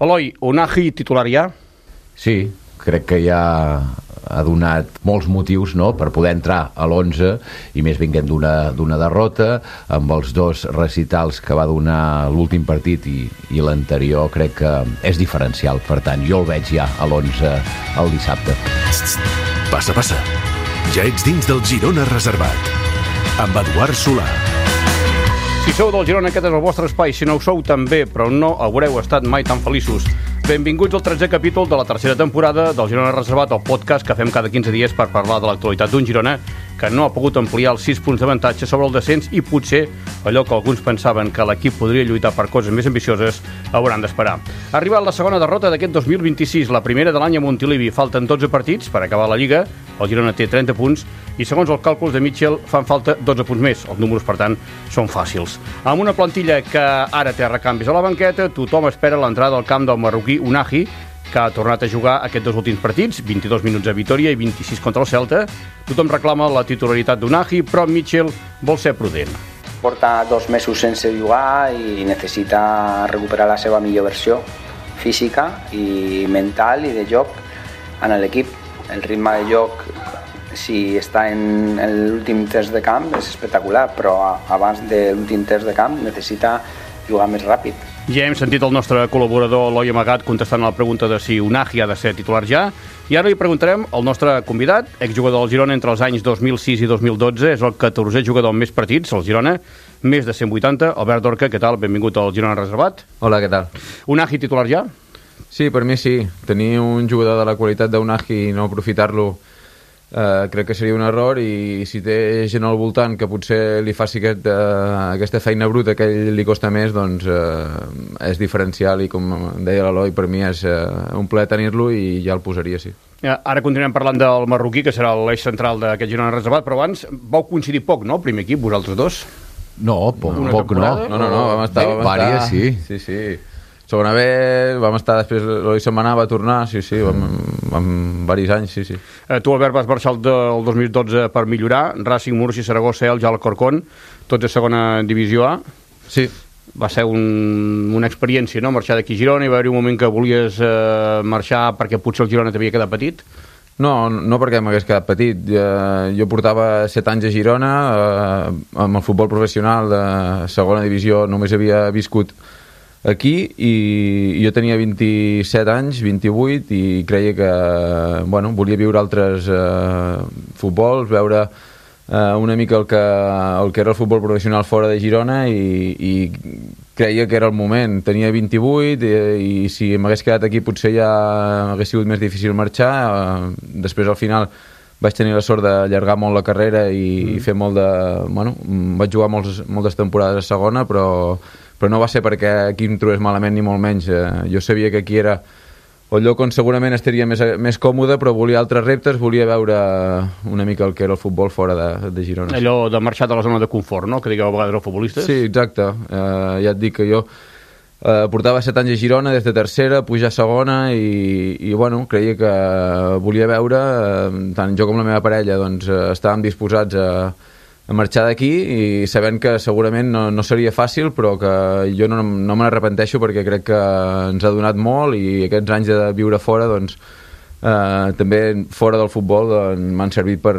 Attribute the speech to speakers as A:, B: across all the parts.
A: Eloi, Unai titular ja?
B: Sí, crec que ja ha donat molts motius, no?, per poder entrar a l'11, i més vinguent d'una derrota, amb els dos recitals que va donar l'últim partit i l'anterior. Crec que és diferencial, per tant jo el veig ja a l'11 el dissabte.
C: Passa. Ja ets dins del Girona Reservat amb Eduard Solà.
A: Si sou del Girona, aquest és el vostre espai. Si no ho sou, també, però no haureu estat mai tan feliços. Benvinguts al 13è capítol de la tercera temporada del Girona Reservat, el podcast que fem cada 15 dies per parlar de l'actualitat d'un Girona que no ha pogut ampliar els 6 punts d'avantatge sobre el descens, i potser allò que alguns pensaven que l'equip podria lluitar per coses més ambicioses hauran d'esperar. Ha arribat la segona derrota d'aquest 2026, la primera de l'any a Montilivi. Falten 12 partits per acabar la Lliga, el Girona té 30 punts i segons els càlculs de Mitchell fan falta 12 punts més. Els números, per tant, són fàcils. Amb una plantilla que ara té recanvis a la banqueta, tothom espera l'entrada al camp del marroquí Unai, que ha tornat a jugar aquests dos últims partits, 22 minuts a Vitòria i 26 contra el Celta. Tothom reclama la titularitat d'Unai, però Mitchell vol ser prudent.
D: Porta 2 mesos sense jugar i necessita recuperar la seva millor versió física i mental i de joc en l'equip. El ritme de joc, si està en l'últim test de camp, és espectacular, però abans de l'últim test de camp necessita jugar més ràpid.
A: Ja hem sentit el nostre col·laborador Eloi Amagat contestant a la pregunta de si Unai ha de ser titular ja, i ara li preguntarem al nostre convidat, exjugador del Girona entre els anys 2006 i 2012, és el 14è jugador amb més partits al Girona, més de 180. Albert Dorca, què tal? Benvingut al Girona Reservat.
E: Hola, què tal?
A: Unai titular ja?
E: Sí, per mi sí. Tenir un jugador de la qualitat d'Unai i no aprofitar-lo crec que seria un error, i si té gent al voltant que potser li faci aquesta feina bruta que a ell li costa més, doncs és diferencial, i com deia l'Eloi, per mi és un plaer tenir-lo i ja el posaria, sí.
A: Ara continuem parlant del marroquí, que serà l'eix central d'aquest Girona Reservat, però abans vau coincidir poc, no?, el primer equip, vosaltres dos?
B: No, poc no.
E: No, vam estar...
B: Vàries, sí.
E: Sí. Segona B, vam estar després, l'Eloi se'n va anar, va tornar, sí, vam diversos anys, sí.
A: Tu, Albert, vas marxar el 2012 per millorar, Racing, Murcia, Saragossa, Elx, Alcorcón, tots de segona divisió A.
E: Sí.
A: Va ser una experiència, no?, marxar d'aquí a Girona, i va haver un moment que volies marxar perquè potser el Girona t'havia quedat petit?
E: No perquè m'hagués quedat petit. Jo portava 7 anys a Girona, amb el futbol professional de segona divisió només havia viscut aquí, i jo tenia 27 anys, 28, i creia que volia viure altres futbols, veure una mica el que era el futbol professional fora de Girona, i creia que era el moment. Tenia 28 i si m'hagués quedat aquí potser ja hagués sigut més difícil marxar. Després, al final, vaig tenir la sort d'allargar molt la carrera i fer molt de... vaig jugar moltes temporades a segona, però no va ser perquè aquí em trobés malament, ni molt menys. Jo sabia que aquí era el lloc on segurament estaria més còmode, però volia altres reptes, volia veure una mica el que era el futbol fora de Girona.
A: Allò de marxar de la zona de confort, no?, que digueu a vegades els futbolistes.
E: Sí, exacte. Ja et dic que jo portava 7 anys a Girona, des de tercera, pujar a segona, i creia que volia veure, tant jo com la meva parella, doncs estàvem disposats a marxar d'aquí, i sabent que segurament no seria fàcil, però que jo no me n'arrepenteixo, perquè crec que ens ha donat molt, i aquests anys de viure fora, doncs també fora del futbol, m'han servit per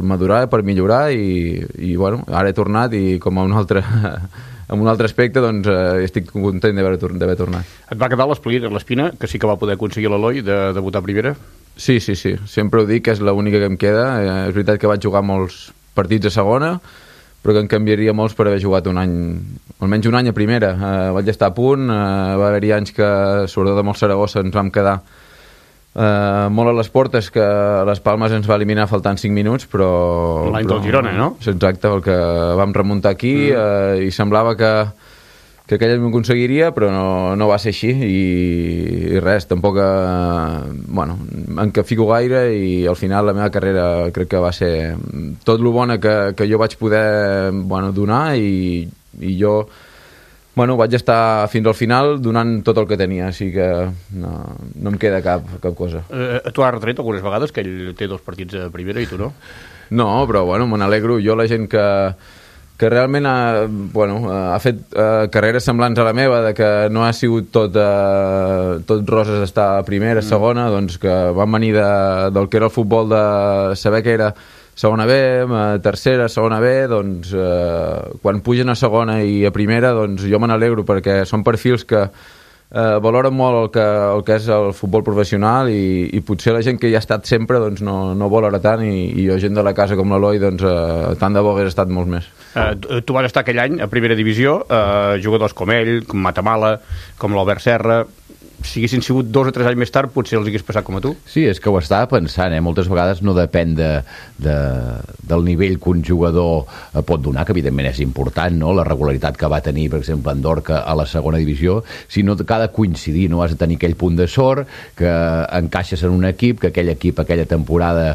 E: madurar, per millorar, i ara he tornat, i com a un altre aspecte, doncs estic content d'haver tornat.
A: Et va quedar l'espina, que sí que va poder aconseguir l'Eloi, de debutar a primera?
E: Sí, sempre ho dic, que és l'única que em queda. És veritat que vaig jugar molts partits a segona, però que en canviaria molts per haver jugat almenys un any a primera. Vaig estar a punt, va haver-hi anys que, sobretot amb el Saragossa, ens vam quedar molt a les portes, que les Palmes ens va eliminar faltant 5 minuts, però...
A: L'any del Girona, no?
E: Exacte, el que vam remuntar aquí, i semblava que aquell m'ho aconseguiria, però no va ser així, i res, tampoc em fico gaire, i al final la meva carrera crec que va ser tot lo bona que jo vaig poder donar, i jo vaig estar fins al final donant tot el que tenia, així que no em queda cap cosa.
A: Tu has retret algunes vegades que ell té 2 partits a primera i tu no?
E: No, però me n'alegro. Jo, la gent que realment ha fet carreres semblants a la meva, de que no ha sigut tot roses estar a primera, segona, doncs que van venir del que era el futbol, de saber que era segona B, tercera, segona B, doncs quan pugen a segona i a primera, doncs jo me n'alegro, perquè són perfils que valoren molt el que és el futbol professional i potser la gent que hi ha estat sempre doncs no valora tant i jo, gent de la casa com l'Eloi, doncs tant de bo hagués estat molts més.
A: Tu vas estar aquell any a primera divisió, jugadors com ell, com Matamala, com l'Albert Serra. Si haguessin sigut 2 o 3 anys més tard, potser els hagués passat com a tu.
B: Sí, és que ho estava pensant, moltes vegades no depèn del nivell que un jugador pot donar, que evidentment és important, no? La regularitat que va tenir, per exemple, Andorca a la segona divisió, sinó que ha de coincidir, no? Has de tenir aquell punt de sort, que encaixes en un equip, que aquell equip aquella temporada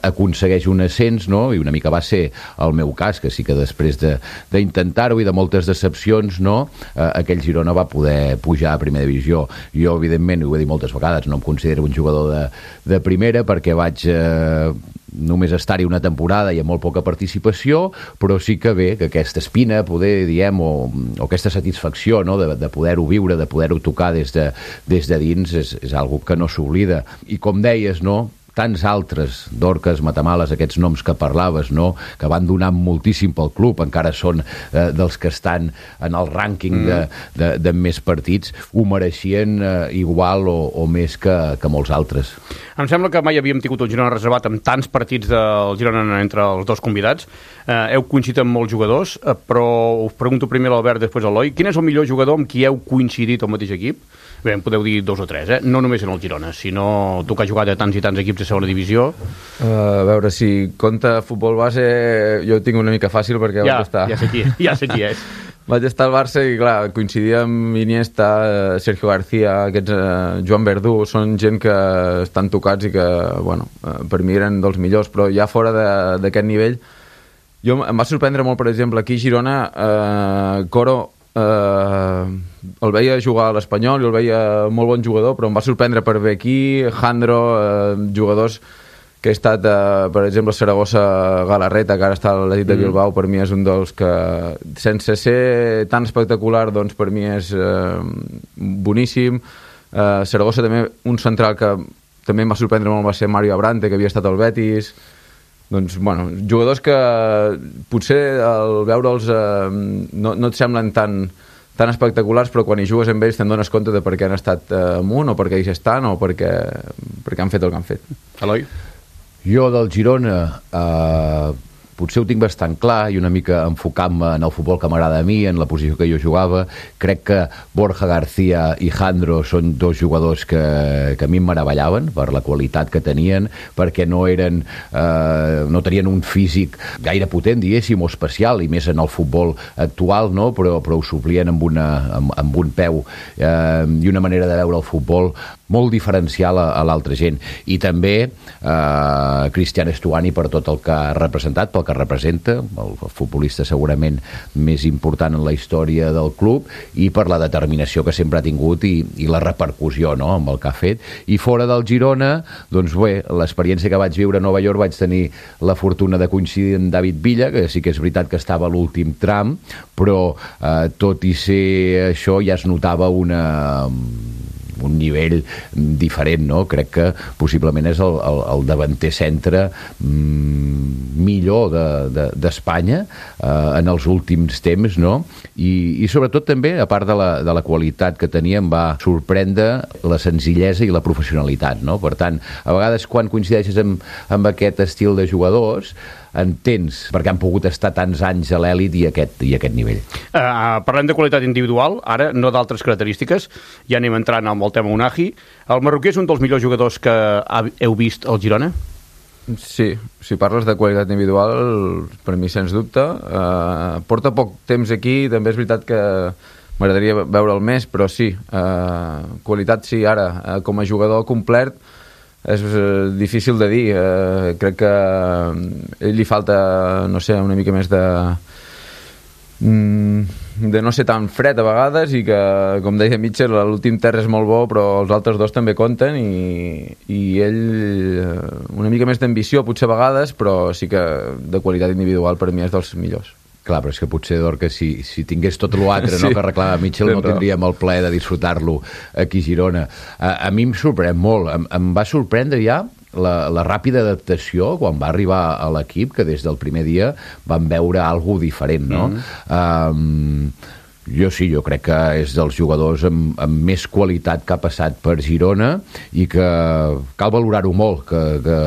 B: aconsegueix un ascens, no? I una mica va ser el meu cas, que sí que després d'intentar-ho i de moltes decepcions, no? Aquell Girona va poder pujar a primera divisió. Jo, evidentment, ho he dit moltes vegades, no em considero un jugador de primera perquè vaig només estar-hi una temporada i amb molt poca participació, però sí que bé que aquesta espina, poder, diem, o aquesta satisfacció, no? de poder-ho viure, de poder-ho tocar des de dins, és algo que no s'oblida. I com deies, no?, tants altres, Dorcas, Matamales, aquests noms que parlaves, no?, que van donar moltíssim pel club, encara són dels que estan en el rànquing de més partits, ho mereixien igual o més que molts altres.
A: Em sembla que mai havíem tingut el Girona reservat amb tants partits del Girona entre els dos convidats. Heu coincidit amb molts jugadors, però us pregunto primer a l'Albert, després a l'Eloi. Quin és el millor jugador amb qui heu coincidit al mateix equip? Bé, em podeu dir 2 o 3, no només en el Girona, sinó tu que has jugat a tants i tants equips de segona divisió.
E: A veure, si compta futbol base, jo ho tinc una mica fàcil perquè vaig estar...
A: Ja sé qui és.
E: Vaig estar al Barça i, clar, coincidia amb Iniesta, Sergio García, aquests Joan Verdú, són gent que estan tocats i que, bueno, per mi eren dels millors, però ja fora d'aquest nivell, em va sorprendre molt, per exemple, aquí a Girona, Coro, el veia jugar a l'Espanyol i el veia molt bon jugador, però em va sorprendre per ver aquí, Jandro, jugadors que he estat, per exemple, Saragossa, Galarreta, que ara està a l'Atlètic de Bilbao, per mi és un dels que, sense ser tan espectacular, doncs per mi és boníssim. Saragossa també, un central que també em va sorprendre molt, va ser Mario Abrante, que havia estat al Betis. Doncs, bueno, jugadors que potser al veure'ls no et semblen tan espectaculars, però quan hi jugues amb ells te'n dones compte de per què han estat amunt o per què hi estan o perquè han fet el que han fet.
A: Eloi?
B: Jo del Girona potser ho tinc bastant clar i una mica enfocant-me en el futbol que m'agrada a mi, en la posició que jo jugava. Crec que Borja García i Jandro són 2 jugadors que a mi em meravellaven per la qualitat que tenien, perquè no tenien un físic gaire potent, diguéssim, o especial, i més en el futbol actual, no? Però ho suplien amb un peu i una manera de veure el futbol molt diferencial a l'altra gent. I també Cristian Estuani per tot el que ha representat, pel que representa, el futbolista segurament més important en la història del club, i per la determinació que sempre ha tingut i la repercussió, no?, amb el que ha fet. I fora del Girona, doncs bé, l'experiència que vaig viure a Nova York, vaig tenir la fortuna de coincidir amb David Villa, que sí que és veritat que estava a l'últim tram, però tot i ser això ja es notava un nivell diferent, no? Crec que possiblement és el davanter centre millor d'Espanya en els últims temps, no? I sobretot també, a part de la qualitat que tenia, em va sorprendre la senzillesa i la professionalitat, no? Per tant, a vegades quan coincideixes amb aquest estil de jugadors, entens perquè han pogut estar tants anys a l'èlit i aquest nivell.
A: Parlem de qualitat individual, ara no d'altres característiques, ja anem entrant amb el tema Unai. El marroquí és un dels millors jugadors que heu vist al Girona?
E: Sí, si parles de qualitat individual, per mi sens dubte. Porta poc temps aquí, també és veritat que m'agradaria veure'l més, però sí, qualitat sí, ara, com a jugador complet, és difícil de dir. Crec que a ell li falta, no sé, una mica més de no ser tan fred a vegades, i que, com deia Mitchell, l'últim terç és molt bo, però els altres 2 també compten, i ell una mica més d'ambició potser a vegades, però sí que de qualitat individual per mi és dels millors.
B: Clar, però és que potser, Dorca, si tingués tot l'altre
E: Sí.
B: que reclama Mitchell, no tindríem el plaer de disfrutar-lo aquí a Girona. A mi em sorprèn molt. Em va sorprendre ja la ràpida adaptació quan va arribar a l'equip, que des del primer dia van veure alguna diferent, no? Jo crec que és dels jugadors amb més qualitat que ha passat per Girona i que cal valorar-ho molt, que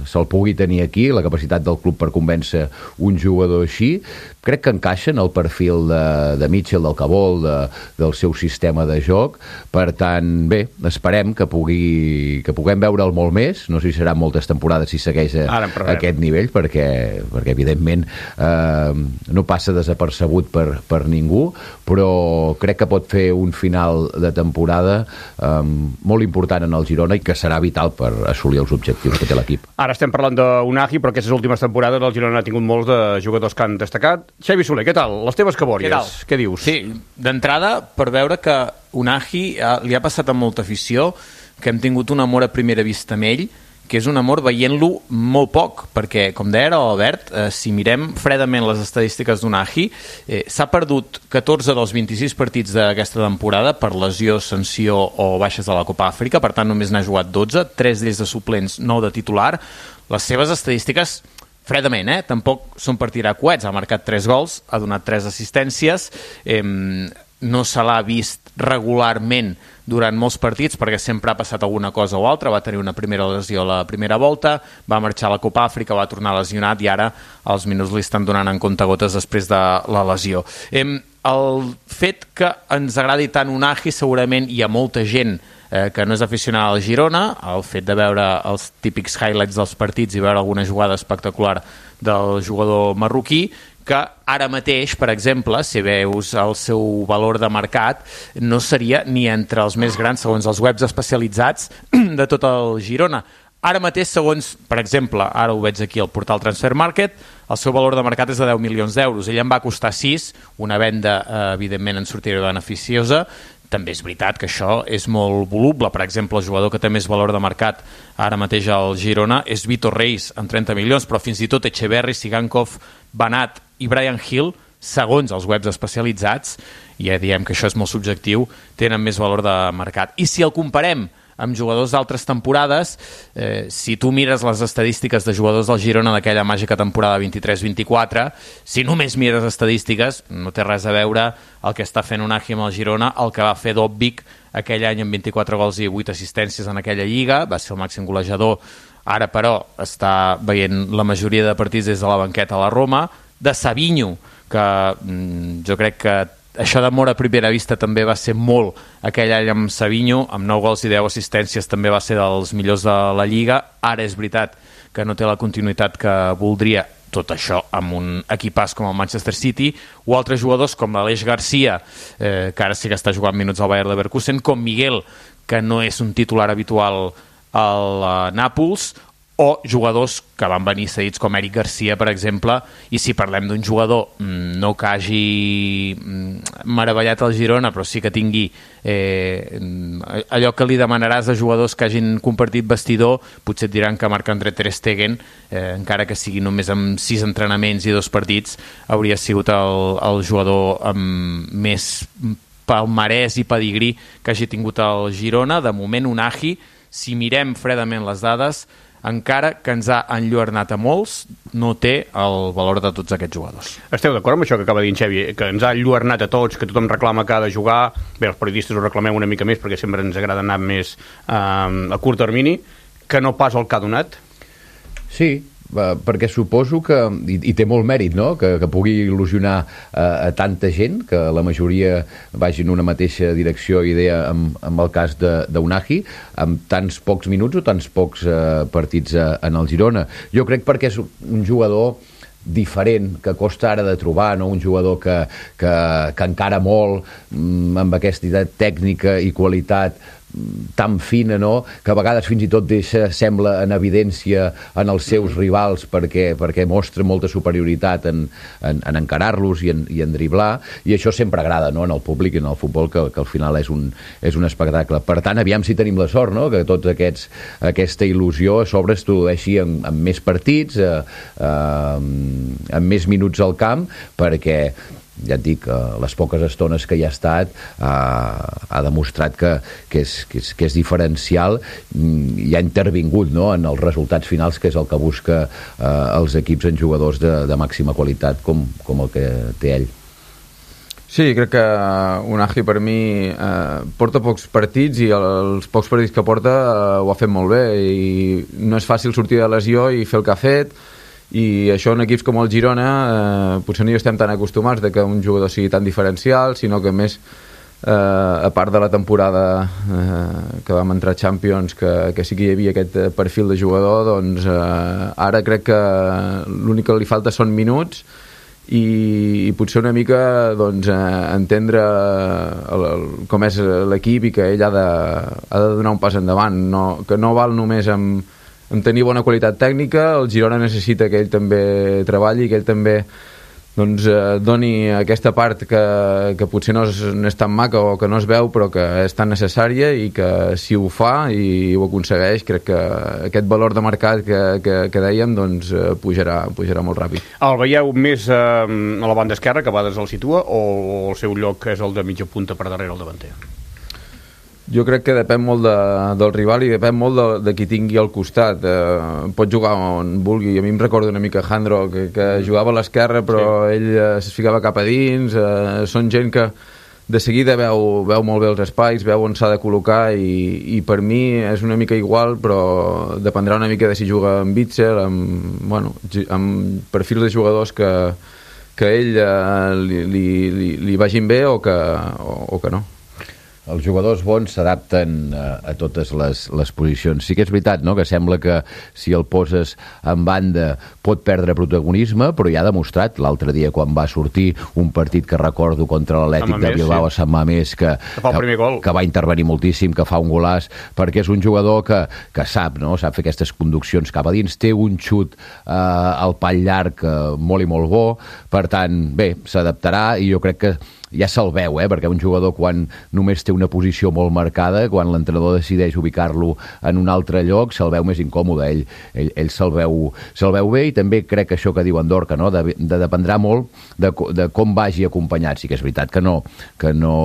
B: se'l pugui tenir aquí, la capacitat del club per convèncer un jugador així. Crec que encaixa en el perfil de Mitchell, del que vol, del seu sistema de joc. Per tant, bé, esperem que puguem veure'l molt més. No sé si seran moltes temporades si segueix a aquest nivell, perquè evidentment no passa desapercebut per ningú, però crec que pot fer un final de temporada molt important en el Girona i que serà vital per assolir els objectius que té l'equip.
A: Ara estem parlant d'Unagi, però aquestes últimes temporades el Girona ha tingut molts de jugadors que han destacat. Xavi Soler, què tal? Les teves cabòries, què dius?
F: Sí, d'entrada, per veure que Unagi li ha passat amb molta afició, que hem tingut un amor a primera vista amb ell, que és un amor veient-lo molt poc, perquè, com deia l'Albert, si mirem fredament les estadístiques d'Unagi, s'ha perdut 14 dels 26 partits d'aquesta temporada per lesió, sanció o baixes de la Copa Àfrica, per tant només n'ha jugat 12, 3 d'ells de suplents, 9 de titular. Les seves estadístiques, fredament, tampoc són per tirar coets, ha marcat 3 gols, ha donat 3 assistències, no se l'ha vist regularment durant molts partits perquè sempre ha passat alguna cosa o altra, va tenir una primera lesió a la primera volta, va marxar a la Copa Àfrica, va tornar lesionat i ara els minuts li estan donant en comptagotes després de la lesió. El fet que ens agradi tant Unagi, segurament hi ha molta gent que no és aficionada al Girona, el fet de veure els típics highlights dels partits i veure alguna jugada espectacular del jugador marroquí, que ara mateix, per exemple, si veus el seu valor de mercat, no seria ni entre els més grans, segons els webs especialitzats de tot el Girona. Ara mateix, segons, per exemple, ara ho veig aquí al portal Transfer Market, el seu valor de mercat és de 10 milions d'euros. Ell en va costar 6, una venda, evidentment, en sortirà beneficiosa. També és veritat que això és molt voluble. Per exemple, el jugador que té més valor de mercat ara mateix al Girona és Vitor Reis, amb 30 milions, però fins i tot Echeverri, Sigankov, Banat i Brian Hill, segons els webs especialitzats, ja diem que això és molt subjectiu, tenen més valor de mercat. I si el comparem amb jugadors d'altres temporades, si tu mires les estadístiques de jugadors del Girona d'aquella màgica temporada 23-24, si només mires estadístiques, no té res a veure el que està fent Unagi amb el Girona, el que va fer Dobbik aquell any amb 24 gols i 8 assistències en aquella lliga, va ser el màxim golejador, ara però està veient la majoria de partits des de la banqueta a la Roma, de Savinho, que jo crec que això d'amor a primera vista també va ser molt aquell any amb Savinho, amb 9 gols i 10 assistències també va ser dels millors de la Lliga. Ara és veritat que no té la continuïtat que voldria, tot això amb un equipàs com el Manchester City, o altres jugadors com l'Aleix Garcia, que ara sí que està jugant minuts al Bayer Leverkusen, com Miguel, que no és un titular habitual al Nàpols, o jugadors que van venir cedits com Eric Garcia, per exemple, i si parlem d'un jugador no que hagi meravellat el Girona, però sí que tingui allò que li demanaràs a jugadors que hagin compartit vestidor, potser et diran que Marc-André Ter Stegen, encara que sigui només amb 6 entrenaments i 2 partits, hauria sigut el jugador amb més palmarès i pedigrí que hagi tingut el Girona. De moment, Unagi, si mirem fredament les dades, encara que ens ha enlluernat a molts, no té el valor de tots aquests jugadors.
A: Esteu d'acord amb això que acaba de dir en Xavi, que ens ha enlluernat a tots, que tothom reclama que ha de jugar? Bé, els periodistes ho reclamem una mica més perquè sempre ens agrada anar més a curt termini, que no pas el que ha donat?
B: Sí, perquè suposo que, i té molt mèrit, no?, que pugui il·lusionar a tanta gent, que la majoria vagi en una mateixa direcció i idea amb el cas d'Unagi, amb tants pocs minuts o tants pocs partits en el Girona. Jo crec perquè és un jugador diferent, que costa ara de trobar, no? Un jugador que encara molt amb aquesta tècnica i qualitat tan fina, no?, que a vegades fins i tot sembla en evidència en els seus rivals perquè mostra molta superioritat en encarar-los i en driblar, i això sempre agrada, no?, en el públic i en el futbol, que al final és un espectacle. Per tant, aviam si tenim la sort, no?, que tots aquesta il·lusió a sobre es tradueixi en més partits, en més minuts al camp, perquè ja et dic, les poques estones que hi ha estat ha demostrat que és diferencial i ha intervingut, no?, en els resultats finals, que és el que busca els equips en jugadors de màxima qualitat com el que té ell.
E: Sí, crec que Unai per mi porta pocs partits i els pocs partits que porta ho ha fet molt bé, i no és fàcil sortir de lesió i fer el que ha fet, i això en equips com el Girona potser no hi estem tan acostumats de que un jugador sigui tan diferencial, sinó que més a part de la temporada que vam entrar a Champions, que sí que hi havia aquest perfil de jugador, doncs ara crec que l'únic que li falta són minuts i potser una mica doncs, entendre com és l'equip i que ell ha de donar un pas endavant, que no val només amb tenir bona qualitat tècnica. El Girona necessita que ell també treballi, que ell també doncs, doni aquesta part que potser no és tan maca o que no es veu, però que és tan necessària, i que si ho fa i ho aconsegueix, crec que aquest valor de mercat que dèiem doncs, pujarà molt ràpid.
A: El veieu més a la banda esquerra, que a vegades el situa, o el seu lloc és el de mitja punta per darrere el davanter?
E: Jo crec que depèn molt del rival i depèn molt de qui tingui al costat. Pot jugar on vulgui. A mi em recorda una mica Jandro, que jugava a l'esquerra, però sí, ell es ficava cap a dins. Són gent que de seguida veu molt bé els espais, veu on s'ha de col·locar, i per mi és una mica igual, però dependrà una mica de si juga amb Witsel, amb perfils de jugadors que ell li vagin bé o que no.
B: Els jugadors bons s'adapten a totes les posicions. Sí que és veritat, no?, que sembla que si el poses en banda pot perdre protagonisme, però ja ha demostrat l'altre dia quan va sortir un partit que recordo contra l'Atlètic de Bilbao a Sant Mamés, que va intervenir moltíssim, que fa un golaç, perquè és un jugador que sap, no?, sap fer aquestes conduccions cap a dins, té un xut al pal llarg molt i molt bo, per tant, bé, s'adaptarà, i jo crec que ja se'l veu, perquè un jugador quan només té una posició molt marcada, quan l'entrenador decideix ubicar-lo en un altre lloc, se'l veu més incòmode. Ell se'l veu bé, i també crec que això que diu Andorca, no?, dependrà molt de com vagi acompanyat. Sí que és veritat que no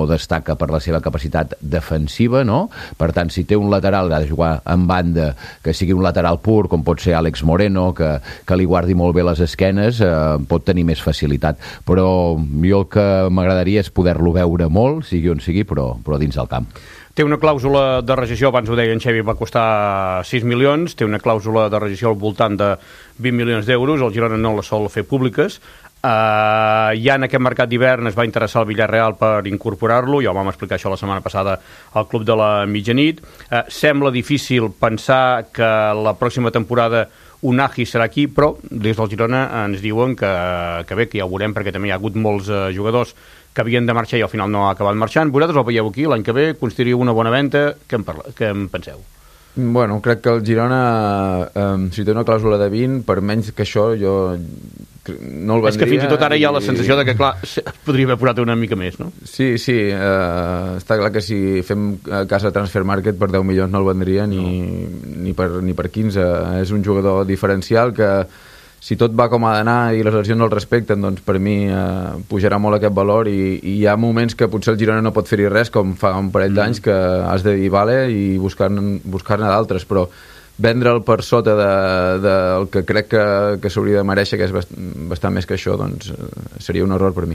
B: destaca per la seva capacitat defensiva, no? Per tant, si té un lateral que ha de jugar en banda, que sigui un lateral pur, com pot ser Àlex Moreno, que li guardi molt bé les esquenes, pot tenir més facilitat. Però jo el que m'agradaria és poder-lo veure molt, sigui on sigui, però dins del camp.
A: Té una clàusula de rescissió, abans ho deia en Xevi, va costar 6 milions, té una clàusula de rescissió al voltant de 20 milions d'euros, el Girona no la sol fer públiques. Ja en aquest mercat d'hivern es va interessar el Villarreal per incorporar-lo, ja ho vam explicar això la setmana passada al Club de la Mitjanit. Sembla difícil pensar que la pròxima temporada Unai serà aquí, però des del Girona ens diuen que bé, que ja ho veurem, perquè també hi ha hagut molts jugadors que havien de marxar i al final no ha acabat marxant. Vosaltres el veieu aquí, l'any que ve constituiu una bona venda. Què en penseu?
E: Bueno, crec que el Girona, si té una clàusula de 20, per menys que això, jo no el vendria.
A: És que fins i tot ara hi ha la sensació de que, clar, podria haver posat una mica més, no?
E: Sí, està clar que si fem cas a Transfer Market per 10 milions no el vendria ni per 15. És un jugador diferencial que, si tot va com ha d'anar i les lesions el respecten, doncs per mi pujarà molt aquest valor, i hi ha moments que potser el Girona no pot fer-hi res, com fa un parell d'anys, que has de dir vale i buscar-ne d'altres, però vendre'l per sota del que crec que s'hauria de mereixer, que és bastant més que això, doncs seria un error per mi.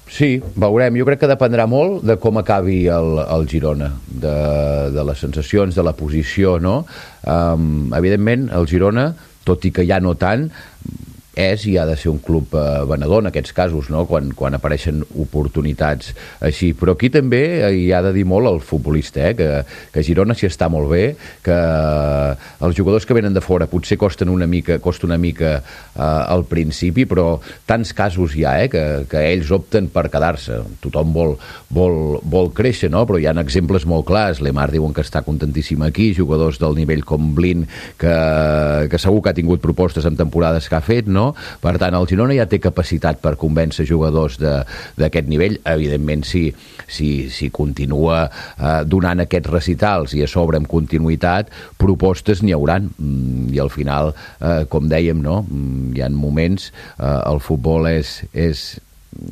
B: Sí, veurem. Jo crec que dependrà molt de com acabi el Girona, de les sensacions, de la posició, no? Evidentment, el Girona, tot i que ja no tant, és i ha de ser un club venedor en aquests casos, no? Quan apareixen oportunitats així. Però aquí també hi ha de dir molt el futbolista, que Girona s'hi està molt bé, que els jugadors que venen de fora potser costa una mica al principi, però tants casos hi ha, que ells opten per quedar-se. Tothom vol créixer, no? Però hi ha exemples molt clars. Lemar diuen que està contentíssim aquí, jugadors del nivell com Blin, que segur que ha tingut propostes en temporades que ha fet, no? Per tant, el Girona ja té capacitat per convèncer jugadors d'aquest nivell. Evidentment, si continua donant aquests recitals i a sobre amb continuïtat, propostes n'hi hauran. I al final, com dèiem, no? Hi ha moments, el futbol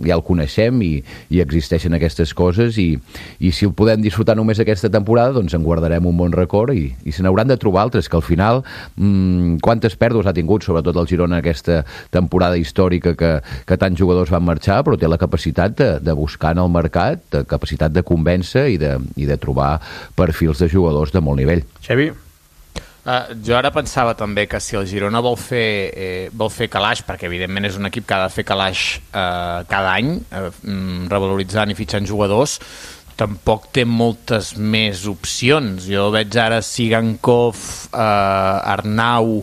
B: ja el coneixem i existeixen aquestes coses i si el podem disfrutar només aquesta temporada, doncs en guardarem un bon record i se n'hauran de trobar altres, que al final quantes pèrdues ha tingut, sobretot el Girona aquesta temporada històrica que tants jugadors van marxar, però té la capacitat de buscar en el mercat, capacitat de convèncer i de trobar perfils de jugadors de molt nivell.
A: Xevi?
F: Jo ara pensava també que si el Girona vol fer calaix, perquè evidentment és un equip que ha de fer calaix cada any, revaloritzant i fitxant jugadors, tampoc té moltes més opcions. Jo veig ara Sigankov, Arnau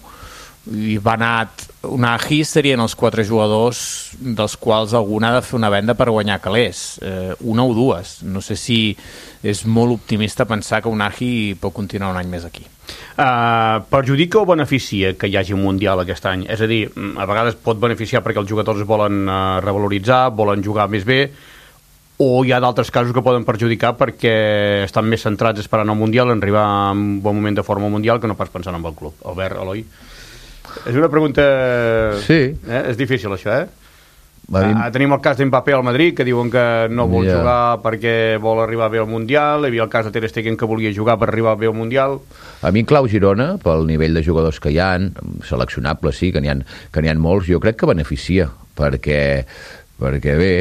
F: i Banat, Unai, serien els 4 jugadors dels quals algun ha de fer una venda per guanyar calés, una o dues. No sé si és molt optimista pensar que Unai pot continuar un any més aquí.
A: Perjudica o beneficia que hi hagi un Mundial aquest any? És a dir, a vegades pot beneficiar perquè els jugadors es volen revaloritzar, volen jugar més bé, o hi ha d'altres casos que poden perjudicar perquè estan més centrats esperant el Mundial, en arribar en un bon moment de forma mundial, que no pas pensant en el club. Albert, Eloi? És una pregunta...
B: Sí.
A: És difícil, això, Tenim el cas d'Mbappé al Madrid, que diuen que no vol jugar perquè vol arribar bé al Mundial. Hi havia el cas de Ter Stegen, que volia jugar per arribar bé al Mundial.
B: A mi en clau Girona, pel nivell de jugadors que hi ha, seleccionables, sí, que n'hi ha molts, jo crec que beneficia, perquè bé,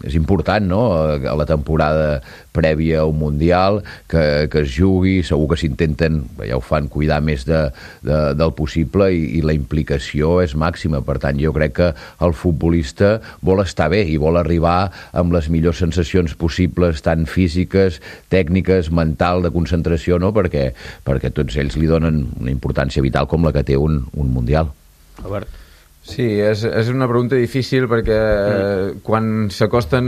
B: és important, no?, a la temporada prèvia a un Mundial que es jugui, segur que s'intenten, ja ho fan, cuidar més del possible i la implicació és màxima. Per tant, jo crec que el futbolista vol estar bé i vol arribar amb les millors sensacions possibles, tant físiques, tècniques, mental, de concentració, no?, perquè tots ells li donen una importància vital com la que té un Mundial.
A: Albert?
E: Sí, és una pregunta difícil perquè quan s'acosten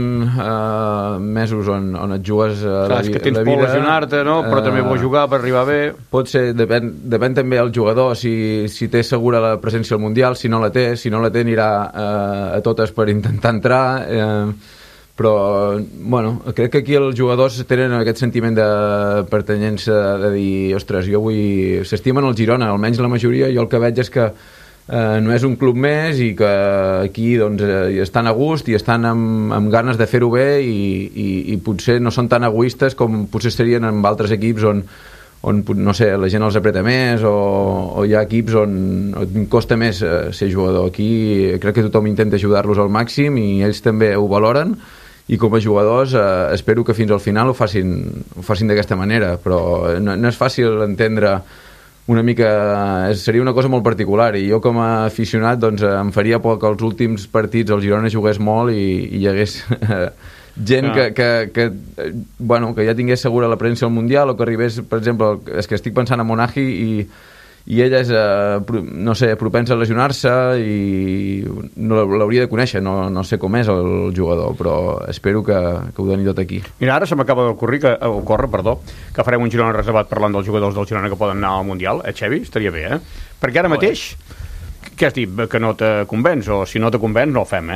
E: mesos on et jugues la vida...
A: És que tens por lesionar-te, no? Però també vols jugar per arribar bé.
E: Pot ser, depèn també del jugador, si té segura la presència al Mundial, si no la té anirà a totes per intentar entrar, però bueno, crec que aquí els jugadors tenen aquest sentiment de pertanyença, de dir, ostres, s'estimen el Girona, almenys la majoria. Jo el que veig és que no és un club més i que aquí doncs, estan a gust i estan amb ganes de fer-ho bé i potser no són tan egoistes com potser serien en altres equips on no sé, la gent els apreta més o hi ha equips on costa més ser jugador. Aquí crec que tothom intenta ajudar-los al màxim i ells també ho valoren, i com a jugadors espero que fins al final ho facin d'aquesta manera, però no és fàcil entendre una mica, seria una cosa molt particular, i jo com a aficionat doncs em faria por que els últims partits el Girona jugués molt i hi hagués gent que ja tingués segura la presència al Mundial, o que arribés, per exemple, és que estic pensant en Monaghi i ella és, no sé, propensa a lesionar-se i no l'hauria de conèixer, no sé com és el jugador, però espero que ho doni tot aquí.
A: Mira, ara se m'acaba d'ocórrer que farem un Girona reservat parlant dels jugadors del Girona que poden anar al Mundial, Xevi? Estaria bé, Perquè ara mateix, què has dit? Que no te convenç, o si no te convenç no ho fem,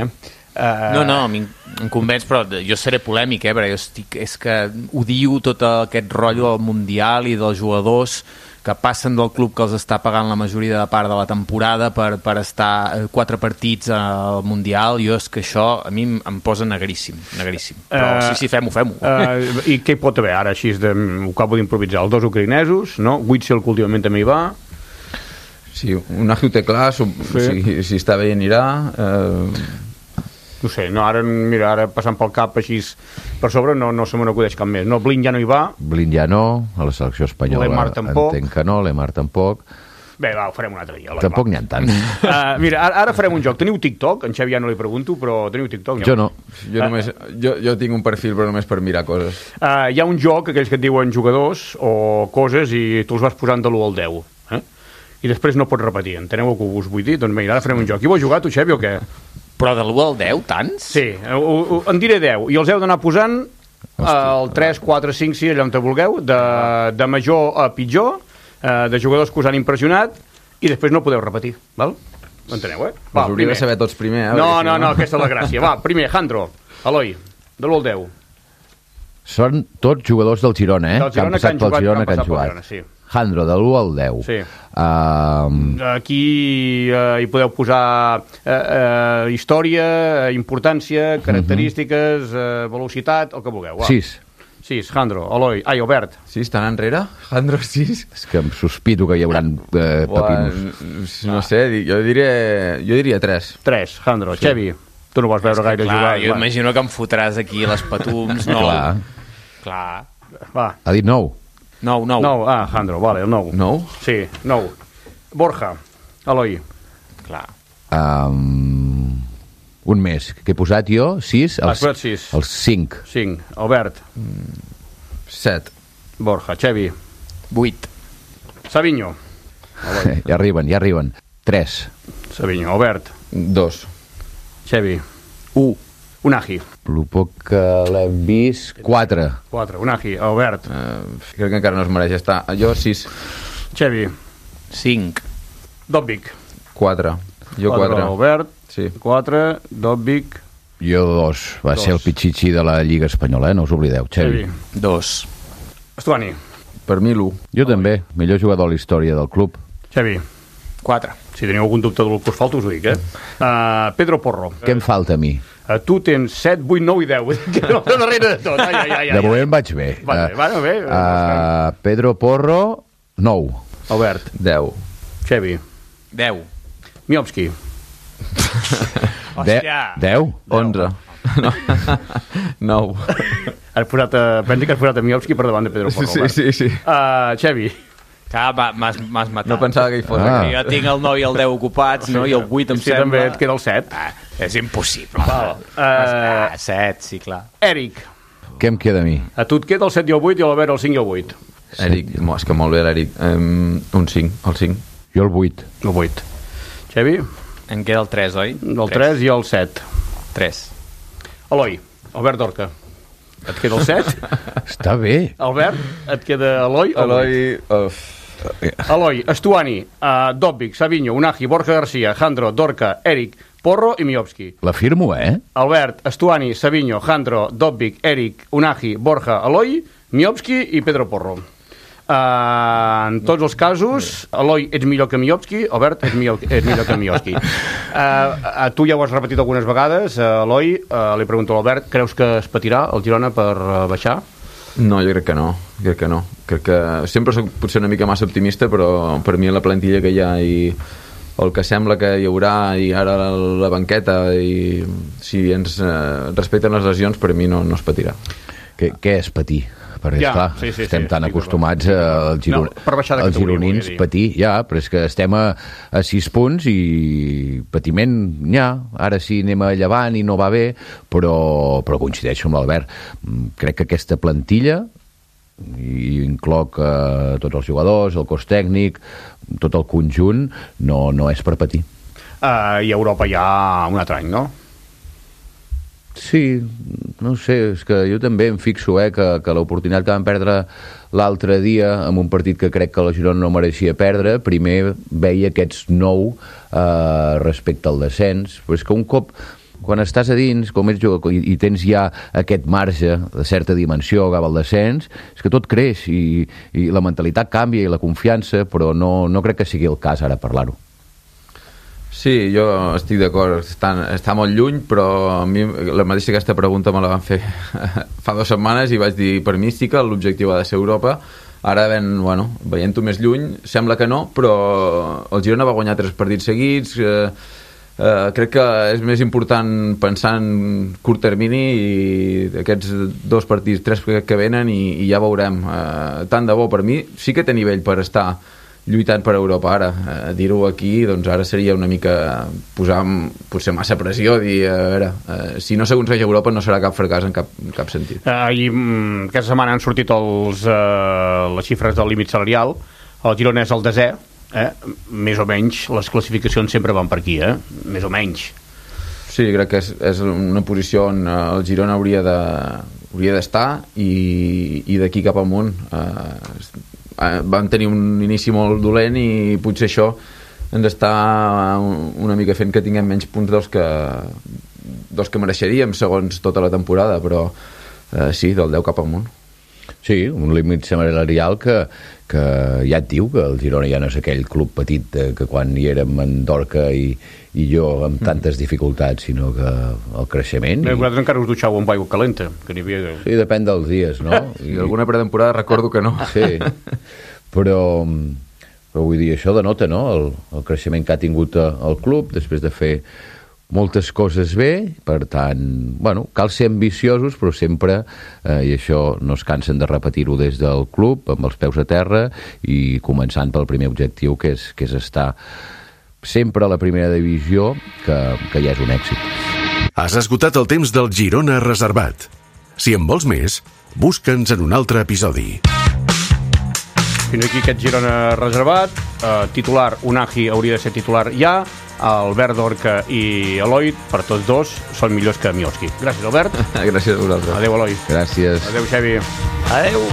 F: No, a mi em convenç, però jo seré polèmic, perquè és que odio tot aquest rotllo del Mundial i dels jugadors que passen del club que els està pagant la majoria de part de la temporada per estar 4 partits al Mundial. Jo és que això a mi em posa negríssim. Però sí, fem-ho.
A: I què hi pot haver ara, així ho acabo d'improvisar? Els 2 ucraïnesos, no? Witzel, que últimament també hi va.
E: Sí, un Unai ho té clar, si està bé anirà.
A: No sé, ara passant pel cap així per sobre no se me n'acudeix cap més. No, Blin ja no hi va.
B: Blin ja no, a la selecció espanyola
A: Lemar tampoc.
B: Entenc que no, Lemar tampoc.
A: Bé, va, ho farem un altre dia. Eloi,
B: Tampoc n'hi ha tants.
A: Mira, ara farem un joc. Teniu TikTok? En Xavi ja no li pregunto, però teniu TikTok?
B: Jo no.
E: Jo tinc un perfil, però només per mirar coses.
A: Hi ha un joc, aquells que et diuen jugadors o coses, i tu els vas posant de l'1 al 10. I després no pots repetir. Enteneu el que us vull dir? Doncs mira, ara farem un joc. I vol jugar, tu, Xavi, o què?
F: Però de l'1 al 10, tants?
A: Sí, en diré 10. I els heu d'anar posant el 3, 4, 5, 6, allà on te vulgueu, de major a pitjor, de jugadors que us han impressionat, i després no podeu repetir, val? Enteneu, Va,
E: us hauria de saber tots primer,
A: No, aquesta és la gràcia. Va, primer, Jandro, Eloi, de l'1 al 10.
B: Són tots jugadors del Girona,
A: Del Girona que han jugat,
B: que han jugat.
A: Sí.
B: Jandro, de l'1 al 10.
A: Sí. Aquí hi podeu posar història, importància, característiques, velocitat, el que vulgueu.
B: 6.
A: 6, Jandro, Eloi, Albert.
E: 6, tan enrere? Jandro, 6?
B: És que em sospito que hi haurà pepinos.
E: No sé, jo diria 3.
A: 3, Jandro. Sí. Xavi, tu no vas veure gaire jugar.
F: Jo imagino que em fotràs aquí les patums. No. Clar.
A: Va.
B: Ha dit 9.
A: 9. Jandro, vale, el 9.
E: 9?
A: Sí, 9. Borja, Eloi.
F: Clar.
B: Un més. Que he posat jo? 6?
A: Has posat 6.
B: Els 5.
A: 5. Albert.
E: 7.
A: Borja. Xavi.
F: 8.
A: Savinho.
B: Ja arriben. 3.
A: Savinho. Albert.
E: 2.
A: Xavi.
F: 1.
A: Unagi.
B: El poc que l'hem vist, 4.
A: 4. Unagi. Albert.
E: Crec que encara no es mereix estar. Jo 6.
A: Xavi.
F: 5.
A: Dobbik.
E: 4. Jo 4.
A: Albert.
E: Sí.
A: 4. Dobbik.
B: Jo 2. Va ser el pitxitxi de la Lliga Espanyola, no us oblideu. Xavi.
F: 2.
A: Estuani.
E: Per mi l'1.
B: Jo també. Millor jugador a la història del club.
A: Xavi.
F: 4.
A: Si teniu algun dubte del que us falta, us ho dic, Pedro Porro.
B: Què em falta a mi?
A: Tu tens 7, 8, 9 i 10. Que no, darrere de tot. Ai.
B: De moment vaig bé.
A: Bé.
B: Pedro Porro, 9.
A: Albert.
E: 10.
A: Xavi.
F: 10.
A: Miovski.
F: Hòstia.
B: 10?
E: 11. 9.
A: Pensi que has posat a Miovski per davant de Pedro Porro.
E: Sí.
A: Xavi.
F: Clar, m'has matat.
E: No pensava que hi fos.
F: Jo tinc el 9 i el 10 ocupats, no? I el 8 em sembla...
A: també et queda el 7.
F: És impossible. 7, sí, clar.
A: Eric.
B: Què em queda a mi?
A: A tu et queda el 7 i el 8 i a l'Albert el 5 i el 8.
E: Eric, és que molt bé l'Eric. Un 5, el 5.
B: Jo el 8.
A: El 8. Xavi?
F: Em queda el 3, oi?
A: El 3 i el 7.
F: 3.
A: Eloi. Albert Dorca. Et queda el 7?
B: Està bé.
A: Albert, et queda Eloi o Eloi, Estuani, Dobbik, Savinho, Unagi, Borja García, Jandro, Dorca, Eric, Porro i Miovski.
B: L'afirmo,
A: Albert, Estuani, Savinho, Jandro, Dobbik, Eric, Unagi, Borja, Eloi, Miovski i Pedro Porro. En tots els casos, Eloi, ets millor que Miovski, Albert, ets millor que Miovski. Tu ja ho has repetit algunes vegades, Eloi, li pregunto a l'Albert, creus que es patirà el Girona per baixar?
E: No, jo crec que no. Crec que sempre soc potser una mica massa optimista, però per mi la plantilla que hi ha i el que sembla que hi haurà i ara la banqueta i si ens respecten les lesions, per mi no es patirà.
B: Què és patir? Perquè, esclar, estem tan acostumats als gironins patir, però és que estem a 6 punts i patiment n'hi ha. Ara sí anem a llevant i no va bé, però coincideixo amb l'Albert. Crec que aquesta plantilla, i incloc tots els jugadors, el cos tècnic, tot el conjunt, no és per patir.
A: I a Europa hi ha un altre any, no?
B: Sí, no sé, és que jo també em fixo que l'oportunitat que vam perdre l'altre dia en un partit que crec que la Girona no mereixia perdre, primer veia aquests 9 respecte al descens, però és que un cop quan estàs a dins, com ets jugador i tens ja aquest marge de certa dimensió cap al descens, és que tot creix i la mentalitat canvia i la confiança, però no crec que sigui el cas ara parlar-ho.
E: Sí, jo estic d'acord, està molt lluny, però a mi la mateixa aquesta pregunta me la van fer fa 2 setmanes i vaig dir, per mi sí que l'objectiu ha de ser Europa. Ara veient-ho més lluny, sembla que no, però el Girona va guanyar 3 partits seguits, crec que és més important pensar en curt termini i aquests 2 partits, 3 que venen i ja veurem. Tant de bo, per mi sí que té nivell per estar lluitant per Europa ara. Dir-ho aquí, doncs ara seria una mica posar potser massa pressió, dir, a veure, si no s'aconsegueix a Europa no serà cap fracàs en cap sentit.
A: I aquesta setmana han sortit les xifres del límit salarial. El Girona és el 10è, més o menys les classificacions sempre van per aquí, més o menys.
E: Sí, crec que és una posició on el Girona hauria d'estar i d'aquí cap amunt van tenir un inici molt dolent i potser això ens està una mica fent que tinguem menys punts dels que mereixeríem segons tota la temporada, però sí, del 10 cap amunt.
B: Sí, un límit salarial que ja et diu que el Girona ja no és aquell club petit que quan hi érem en Dorca i jo amb tantes dificultats, sinó que el creixement...
A: Vosaltres encara us dutxau amb aigua calenta, que n'hi havia...
B: Sí, depèn dels dies, no?
E: I alguna pretemporada recordo que no.
B: Sí, però vull dir, això denota, no?, el creixement que ha tingut el club després de fer moltes coses bé, per tant, bueno, cal ser ambiciosos, però sempre, i això no es cansen de repetir-ho des del club, amb els peus a terra i començant pel primer objectiu, que és estar sempre a la primera divisió, que ja és un èxit.
C: Has esgotat el temps del Girona Reservat. Si en vols més, busca'ns en un altre episodi.
A: Fins aquí aquest Girona Reservat. Titular, Unai hauria de ser titular ja. Albert Dorca i Eloi, per tots dos, són millors que Mioski. Gràcies, Albert.
E: Gràcies a vosaltres.
A: Adéu, Eloi.
B: Gràcies.
A: Adéu, Xavi.
F: Adéu.